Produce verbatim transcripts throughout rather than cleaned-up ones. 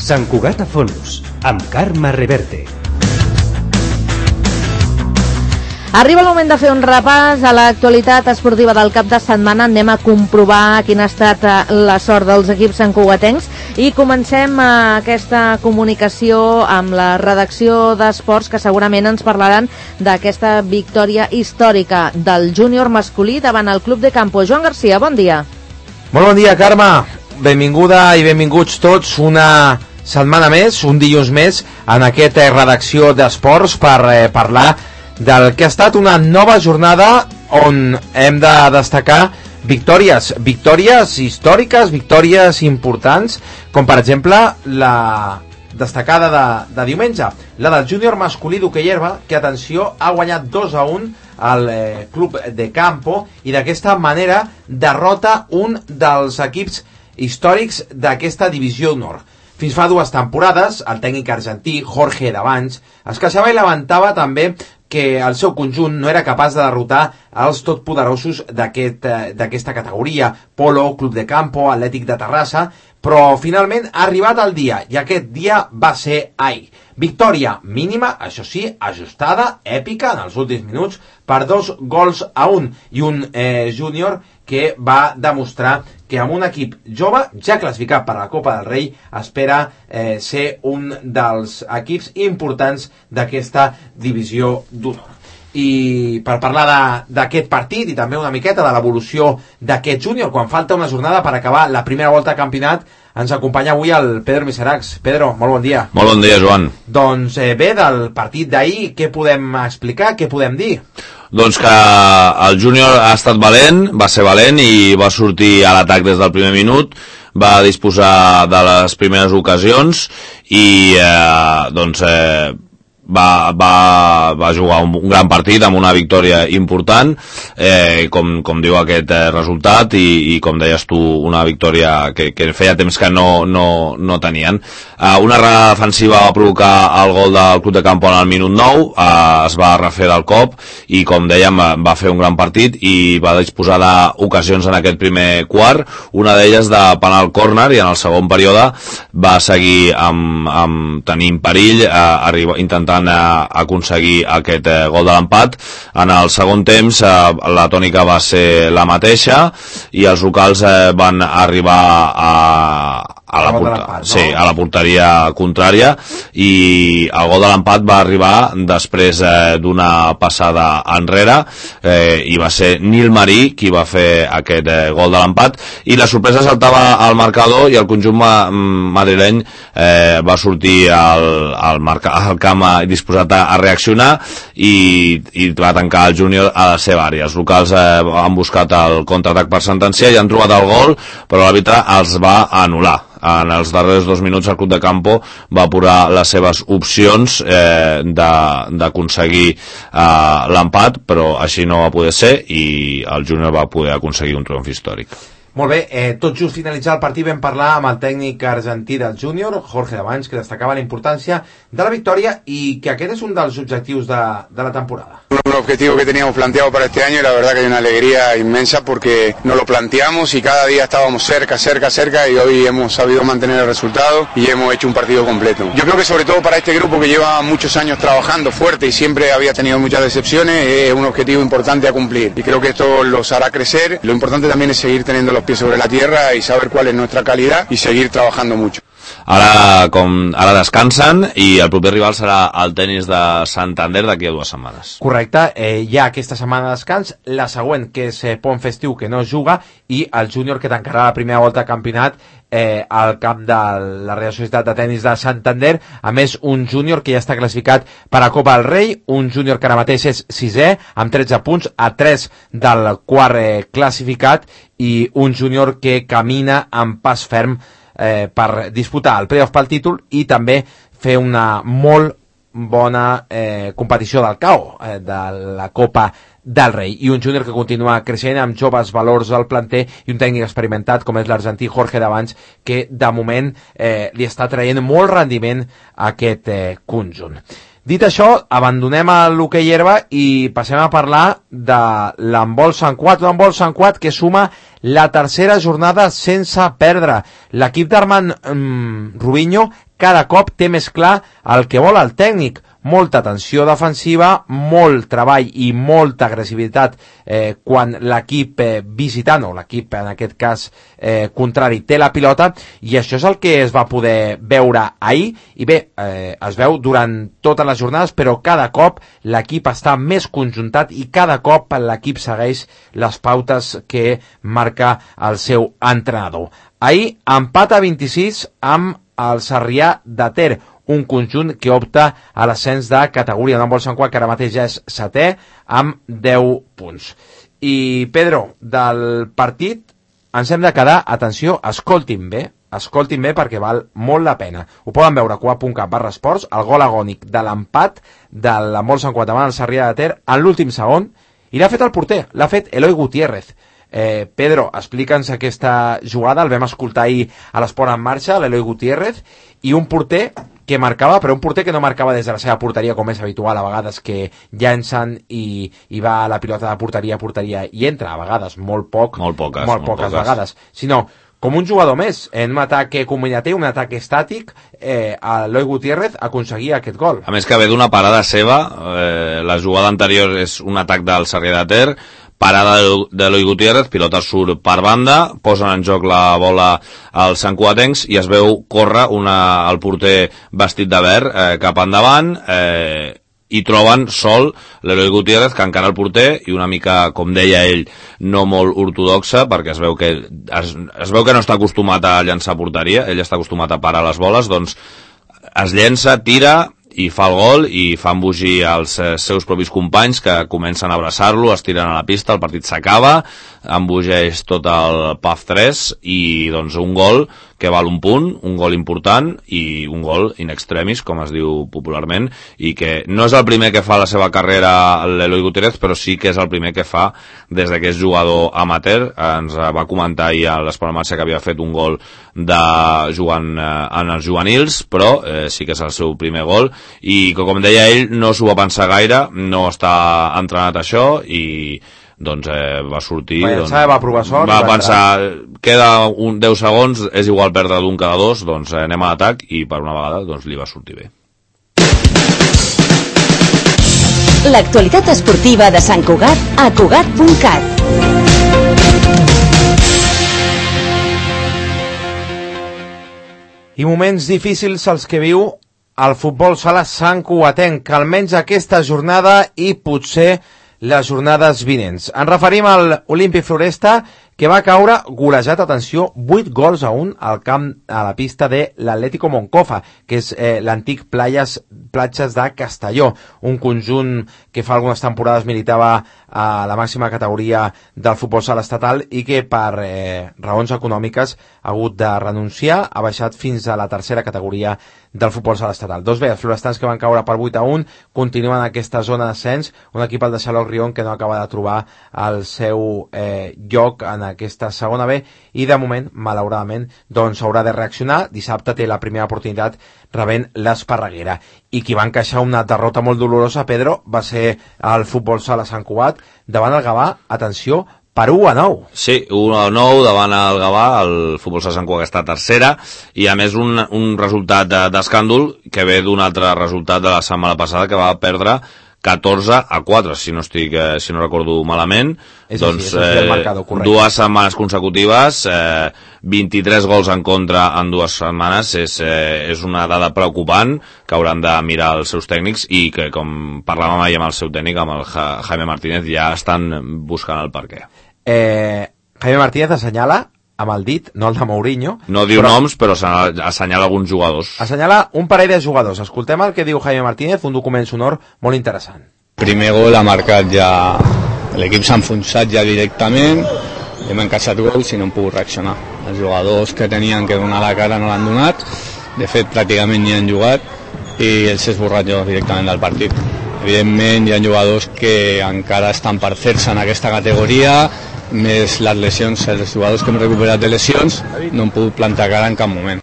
Sant Cugat a Fons, amb Carme Reverte. Arriba el moment de fer un repàs a l'actualitat esportiva del cap de setmana. Anem a comprovar quina ha estat la sort dels equips santcugatencs i comencem aquesta comunicació amb la redacció d'Esports, que segurament ens parlaran d'aquesta victòria històrica del júnior masculí davant el Club de Campo. Joan Garcia, bon dia. Molt bon dia, Carme. Benvinguda i benvinguts tots una setmana més, un dilluns més, en aquesta redacció d'Esports per eh, parlar del que ha estat una nova jornada on hem de destacar victòries, victòries històriques, victòries importants, com per exemple la destacada de, de diumenge, la del júnior masculí d'hoquei herba, que, atenció, ha guanyat dos a un al eh, Club de Campo i d'aquesta manera derrota un dels equips històrics d'aquesta divisió d'honor. Fins fa dues temporades, el tècnic argentí Jorge Davanç es queixava i lamentava també que el seu conjunt no era capaç de derrotar els totpoderosos d'aquesta aquest, categoria, Polo, Club de Campo, Atlètic de Terrassa, però finalment ha arribat el dia, i aquest dia va ser ahir. Victòria mínima, això sí, ajustada, èpica, en els últims minuts, per dos gols a un, i un eh, júnior que va demostrar que amb un equip jove, ja classificat per la Copa del Rei, espera eh, ser un dels equips importants d'aquesta divisió d'honor. I per parlar d'aquest partit i també una miqueta de l'evolució d'aquest júnior, quan falta una jornada per acabar la primera volta de campionat, ens acompanya avui el Pedro Miseracs. Pedro, molt bon dia. Molt bon dia, Joan. Doncs eh, bé, del partit d'ahir, què podem explicar, què podem dir? Doncs que el júnior ha estat valent, va ser valent i va sortir a l'atac des del primer minut, va disposar de les primeres ocasions i eh, doncs eh, va, va, va jugar un, un gran partit amb una victòria important, eh, com, com diu aquest eh, resultat, i, i com deies tu, una victòria que, que feia temps que no, no, no tenien. Eh, una errada defensiva va provocar el gol del Club de Campo en el minut nou, eh, es va refer del cop i, com dèiem, va fer un gran partit i va disposar d'ocasions en aquest primer quart, una d'elles de penal córner, i en el segon període va seguir amb, amb tenint perill, eh, arriba, intentant a aconseguir aquest eh, gol de l'empat. En el segon temps eh, la tònica va ser la mateixa i els locals eh, van arribar a, a, la porta, no? sí, a la porteria contrària, i el gol de l'empat va arribar després eh, d'una passada enrere, eh, i va ser Nil Marí qui va fer aquest eh, gol de l'empat, i la sorpresa saltava al marcador i el conjunt ma madrileny eh, va sortir al, al, marca, al camp disposat a, a reaccionar i, i va tancar el júnior a la seva àrea. Els locals eh, han buscat el contraatac per sentenciar i han trobat el gol, però l'àrbitre els va anul·lar. En els darrers dos minuts el Club de Campo va apurar les seves opcions eh, d'aconseguir eh, l'empat, però així no va poder ser i el júnior va poder aconseguir un triomf històric. Molt bé, eh, tot just finalitzar el partit vam parlar amb el tècnic argentí del júnior, Jorge Davanç, que destacava la importància de la victòria y que aquest és un dels objectius de, de la temporada. Un objetivo que teníamos planteado para este año y la verdad que hay una alegría inmensa porque nos lo planteamos y cada día estábamos cerca, cerca, cerca y hoy hemos sabido mantener el resultado y hemos hecho un partido completo. Yo creo que sobre todo para este grupo que lleva muchos años trabajando fuerte y siempre había tenido muchas decepciones, es un objetivo importante a cumplir y creo que esto los hará crecer. Lo importante también es seguir teniendo los pies sobre la tierra y saber cuál es nuestra calidad y seguir trabajando mucho. Ara, com, ara descansen i el proper rival serà el Tenis de Santander d'aquí a dues setmanes. Correcte, eh, hi ha aquesta setmana de descans, la següent que és eh, Pont Festiu, que no es juga, i el júnior que tancarà la primera volta de campionat eh, al camp de la Real Societat de Tenis de Santander. A més, un júnior que ja està classificat per a Copa del Rei, un júnior que ara mateix és sisè amb tretze punts, a tres del quart eh, classificat, i un júnior que camina amb pas ferm Eh, per disputar el playoff pel títol i també fer una molt bona eh, competició del C A O, eh, de la Copa del Rei, i un júnior que continua creixent amb joves valors al planter i un tècnic experimentat com és l'argentí Jorge Davanç, que de moment eh, li està traient molt rendiment a aquest eh, conjunt. Dit això, abandonem l'hoquei herba i passem a parlar de l'handbol Sant Cugat, un handbol Sant Cugat que suma la tercera jornada sense perdre. L'equip d'Armand mm, Rubinho cada cop té més clar el que vol el tècnic. Molta tensió defensiva, molt treball i molta agressivitat eh, quan l'equip eh, visitant, o l'equip en aquest cas eh, contrari, té la pilota, i això és el que es va poder veure ahir, i bé, eh, es veu durant totes les jornades, però cada cop l'equip està més conjuntat i cada cop l'equip segueix les pautes que marca el seu entrenador. Ahir empat a vint-i-sis amb el Sarrià de Ter, un conjunt que opta a l'ascens de categoria. No vol Sant Cugat, que ara mateix ja és setè, amb deu punts. I, Pedro, del partit ens hem de quedar, atenció, escoltin bé, escoltin bé perquè val molt la pena. Ho poden veure a cugat punt cat barra esports, el gol agònic de l'empat de l'Handbol Sant Cugat davant el Sarrià de Ter en l'últim segon, i l'ha fet el porter, l'ha fet Eloi Gutiérrez. Eh, Pedro, explica'ns aquesta jugada, el vam escoltar ahir a l'Esport en Marxa, l'Eloi Gutiérrez, i un porter que marcava, però un porter que no marcava des de la seva porteria, com és habitual a vegades, que llancen i, i va a la pilota de porteria a porteria i entra, a vegades, molt poc, molt poques, molt poques, molt poques vegades, sinó com un jugador més, en un atac combinatiu, un atac estàtic, eh, Eloi Gutiérrez aconseguia aquest gol. A més que ve d'una parada seva, eh, la jugada anterior és un atac del Sarrià de Ter, parada d'Eloi Gutiérrez, pilota surt per banda, posen en joc la bola als santcugatencs i es veu córrer una, el porter vestit de verd eh, cap endavant, eh, i troben sol l'Eloi Gutiérrez, que encara el porter, i una mica, com deia ell, no molt ortodoxa, perquè es veu que es, es veu que no està acostumat a llançar porteria, ell està acostumat a parar les boles, doncs es llença, tira i fa el gol i fa embogir els eh, seus propis companys, que comencen a abraçar-lo, es tiren a la pista, el partit s'acaba, embogeix tot el P A F tres i doncs un gol que val un punt, un gol important i un gol in extremis, com es diu popularment, i que no és el primer que fa la seva carrera l'Eloi Gutiérrez, però sí que és el primer que fa des que és jugador amateur. Ens va comentar ahir a l'Esport en Marxa que havia fet un gol de jugant eh, en els juvenils, però eh, sí que és el seu primer gol, i que, com deia ell, no s'ho va pensar gaire, no està entrenat això, i doncs eh, va sortir, va, doncs, va provar sort, va va pensar entrar. Queda un deu segons, és igual perdre d'un cada dos, doncs eh, anem a l'atac, i per una vegada doncs, li va sortir bé. L'actualitat esportiva de Sant Cugat a cugat punt cat. I moments difícils els que viu el futbol sala santcugatenc, almenys aquesta jornada i potser les jornades vinents. Ens referim al Olímpic Floresta, que va caure golejat, atenció, vuit gols a un al camp, a la pista de l'Atlético Moncofa, que és eh, l'antic Playas, Platges de Castelló, un conjunt que fa algunes temporades militava a la màxima categoria del futbol sala estatal i que per eh, raons econòmiques ha hagut de renunciar, ha baixat fins a la tercera categoria del futbol sala estatal. Doncs bé, els florestans que van caure per vuit a un continuen en aquesta zona d'ascens, un equip al de Xaloc Rion que no acaba de trobar el seu eh, lloc en aquesta segona B, i de moment, malauradament, doncs haurà de reaccionar. Dissabte té la primera oportunitat rebent l'Esparreguera. I qui va encaixar una derrota molt dolorosa, Pedro, va ser el futbol sala Sant Cugat davant el Gavà, atenció, per u a nou. Sí, u a nou davant el Gavà, el futbol sala Sant Cugat està tercera, i a més un, un resultat d'escàndol que ve d'un altre resultat de la setmana passada, que va perdre catorze a quatre, si no estic, eh, si no recordo malament. És doncs així, és eh, marcado, dues setmanes consecutives, eh, vint-i-tres gols en contra en dues setmanes, és, eh, és una dada preocupant que hauran de mirar els seus tècnics, i que, com parlàvem ahir amb el seu tècnic, amb el ja, Jaime Martínez, ja estan buscant el perquè. Eh, Jaime Martínez assenyala amb el dit, no el de Mourinho. No diu però noms, però assenyala alguns jugadors. Assenyala un parell de jugadors. Escoltem el que diu Jaime Martínez, un document sonor molt interessant. Primer gol ha marcat ja... L'equip s'ha enfonsat ja directament, hem encaixat gols i no hem pogut reaccionar. Els jugadors que tenien que donar la cara no l'han donat, de fet pràcticament ni han jugat, i els he esborrat jo directament del partit. Evidentment hi ha jugadors que encara estan per fer-se en aquesta categoria, més les lesions, els jugadors que hem recuperat de lesions no han pogut plantar cara en cap moment.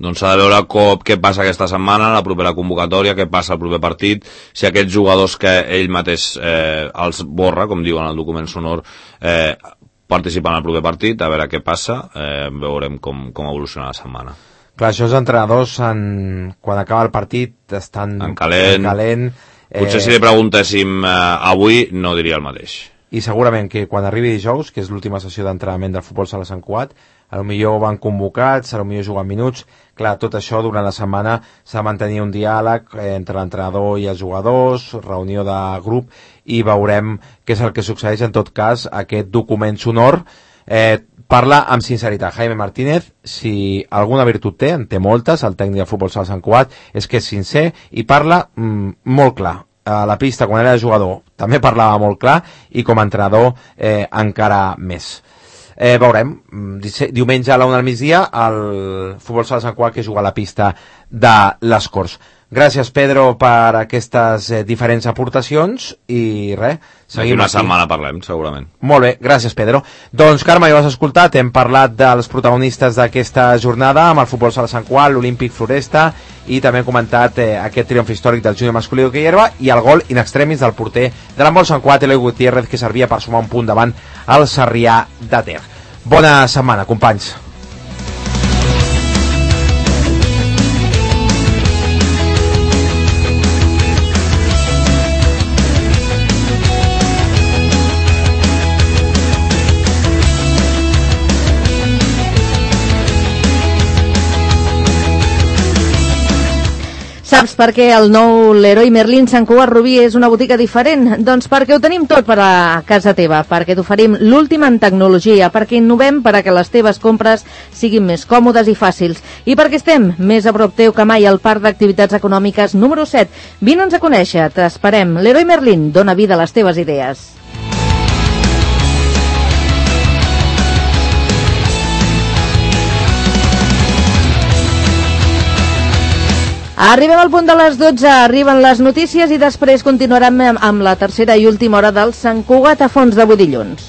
Doncs s'ha de veure com, què passa aquesta setmana, la propera convocatòria, què passa al proper partit, si aquests jugadors que ell mateix eh, els borra, com diuen al document sonor, eh, participen al proper partit, a veure què passa, eh, veurem com, com evoluciona la setmana. Clar, això els entrenadors, en... quan acaba el partit, estan en calent. En calent eh... Potser si li preguntéssim eh, avui, no diria el mateix. I segurament que quan arribi dijous, que és l'última sessió d'entrenament del futbol sala Sant Cugat, potser van convocats, potser juguen minuts. Clar, tot això durant la setmana s'ha de mantenir un diàleg entre l'entrenador i els jugadors, reunió de grup, i veurem què és el que succeeix. En tot cas, aquest document sonor eh, parla amb sinceritat. Jaime Martínez, si alguna virtut té, en té moltes, el tècnic del futbol sala Sant Cugat, és que és sincer i parla mm, molt clar. A la pista, quan era jugador, també parlava molt clar, i com a entrenador eh, encara més. Eh, veurem, diumenge a la una del migdia el futbol sala Sant Cugat que juga a la pista de les Corts. Gràcies, Pedro, per aquestes eh, diferents aportacions i res, seguim una aquí. setmana parlem, segurament. Molt bé, gràcies, Pedro. Doncs, Carme, ja ho has escoltat, hem parlat dels protagonistes d'aquesta jornada amb el futbol sala Sant Cugat, l'Olímpic Floresta, i també hem comentat eh, aquest triomf històric del júnior masculí d'hoquei herba i el gol in extremis del porter de l'handbol Sant Cugat, Eloi Gutiérrez, que servia per sumar un punt davant al Sarrià de Ter. Bona setmana, companys. Saps per què el nou Leroy Merlin Sant Cugat Rubí és una botiga diferent? Doncs perquè ho tenim tot per a casa teva, perquè t'oferim l'última en tecnologia, perquè innovem per a que les teves compres siguin més còmodes i fàcils, i perquè estem més a prop teu que mai al Parc d'Activitats Econòmiques número set. Vine'ns a conèixer, t'esperem. Leroy Merlin, dona vida a les teves idees. Arribem al punt de les dotze, arriben les notícies i després continuarem amb la tercera i última hora del Sant Cugat a fons d'avui dilluns.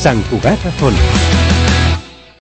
Sant Cugat a fons.